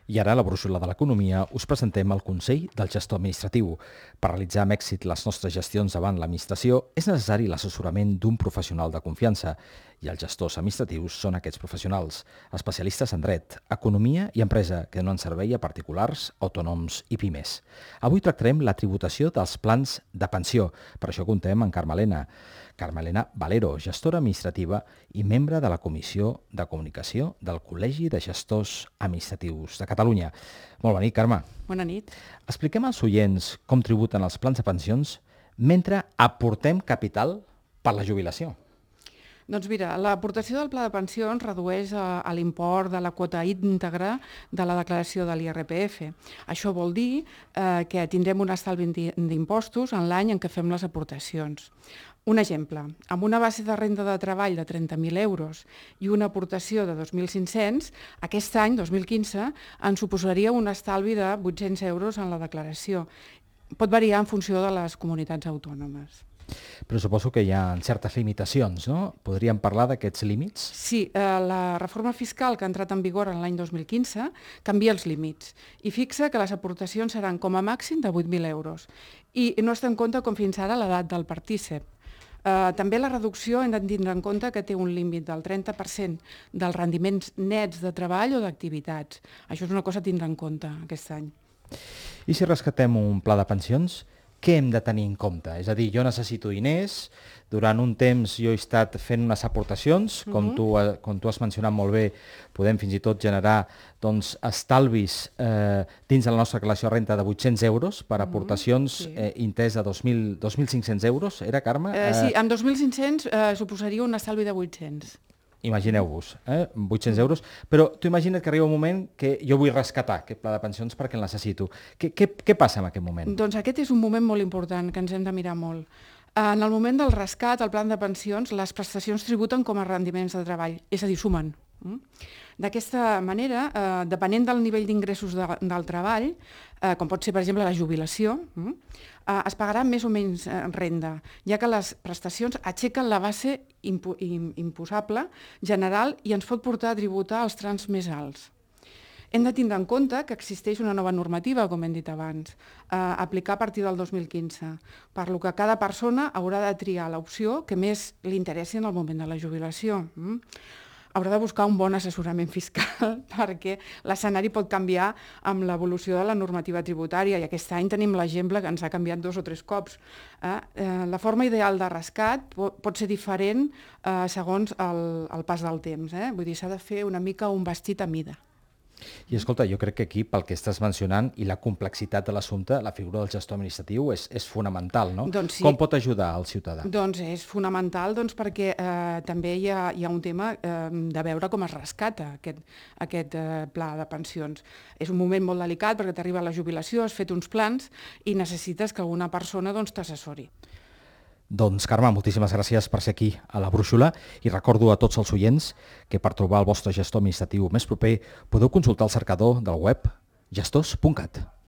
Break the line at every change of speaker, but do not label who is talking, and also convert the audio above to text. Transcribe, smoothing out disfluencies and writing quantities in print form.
I ara, a la brúixola de l'economia, us presentem el Consell del Gestor Administratiu. Per realitzar amb èxit les nostres gestions davant l'administració és necessari l'assessorament d'un professional de confiança i els gestors administratius són aquests professionals, especialistes en dret, economia i empresa que donen servei a particulars, autònoms i pimes. Avui tractarem la tributació dels plans de pensió. Per això contem amb Carmelena Valero, gestora administrativa i membre de la Comissió de Comunicació del Col·legi de Gestors Administratius de Catalunya. Molt bona nit, Carme.
Bona nit.
Expliquem als oients com tributen els plans de pensions mentre aportem capital per la jubilació.
Doncs mira, l'aportació del pla de pensions redueix a l'import de la quota íntegra de la declaració de l'IRPF. Això vol dir que tindrem un estalvi d'impostos en l'any en què fem les aportacions. Un exemple, amb una base de renda de treball de 30.000 euros i una aportació de 2.500, aquest any, 2015, ens suposaria un estalvi de 800 euros en la declaració. Pot variar en funció de les comunitats autònomes.
Però suposo que hi ha certes limitacions, no? Podríem parlar d'aquests límits?
Sí, la reforma fiscal que ha entrat en vigor en l'any 2015 canvia els límits i fixa que les aportacions seran com a màxim de 8.000 euros i no es té en compte com fins ara l'edat del partícip. També la reducció hem de tindre en compte que té un límit del 30% dels rendiments nets de treball o d'activitats. Això és una cosa a tindre en compte aquest any.
I si rescatem un pla de pensions, què hem de tenir en compte? És a dir, jo necessito diners, durant un temps jo he estat fent unes aportacions, com tu has mencionat molt bé, podem fins i tot generar estalvis dins de la nostra declaració de renda de 800 euros per aportacions interès de 2.500 euros, era, Carme?
Sí, amb 2.500 suposaria un estalvi de 800.
Imagineu-vos, 800 euros, però tu imagina't que arriba un moment que jo vull rescatar aquest pla de pensions perquè el necessito. Què passa en aquest moment?
Doncs aquest és un moment molt important que ens hem de mirar molt. En el moment del rescat, el plan de pensions, les prestacions tributen com a rendiments de treball, és a dir, sumen. D'aquesta manera, depenent del nivell d'ingressos del treball, com pot ser, per exemple, la jubilació, es pagarà més o menys renda, ja que les prestacions aixequen la base imposable general i ens pot portar a tributar els trams més alts. Hem de tindre en compte que existeix una nova normativa, com hem dit abans, a aplicar a partir del 2015, per lo que cada persona haurà de triar l'opció que més li interessi en el moment de la jubilació. Haurà de buscar un bon assessorament fiscal perquè l'escenari pot canviar amb l'evolució de la normativa tributària i aquest any tenim l'exemple que ens ha canviat 2 o 3 cops. La forma ideal de rescat pot ser diferent segons el pas del temps. Vull dir, s'ha de fer una mica un vestit a mida.
I escolta, jo crec que aquí, pel que estàs mencionant i la complexitat de l'assumpte, la figura del gestor administratiu és fonamental, no?
Doncs sí.
Com pot ajudar al ciutadà?
Doncs és fonamental perquè també hi ha un tema de veure com es rescata aquest pla de pensions. És un moment molt delicat perquè t'arriba la jubilació, has fet uns plans i necessites que alguna persona t'assessori.
Doncs, Carme, moltíssimes gràcies per ser aquí a la brúixola i recordo a tots els oients que per trobar el vostre gestor administratiu més proper podeu consultar el cercador del web gestors.cat.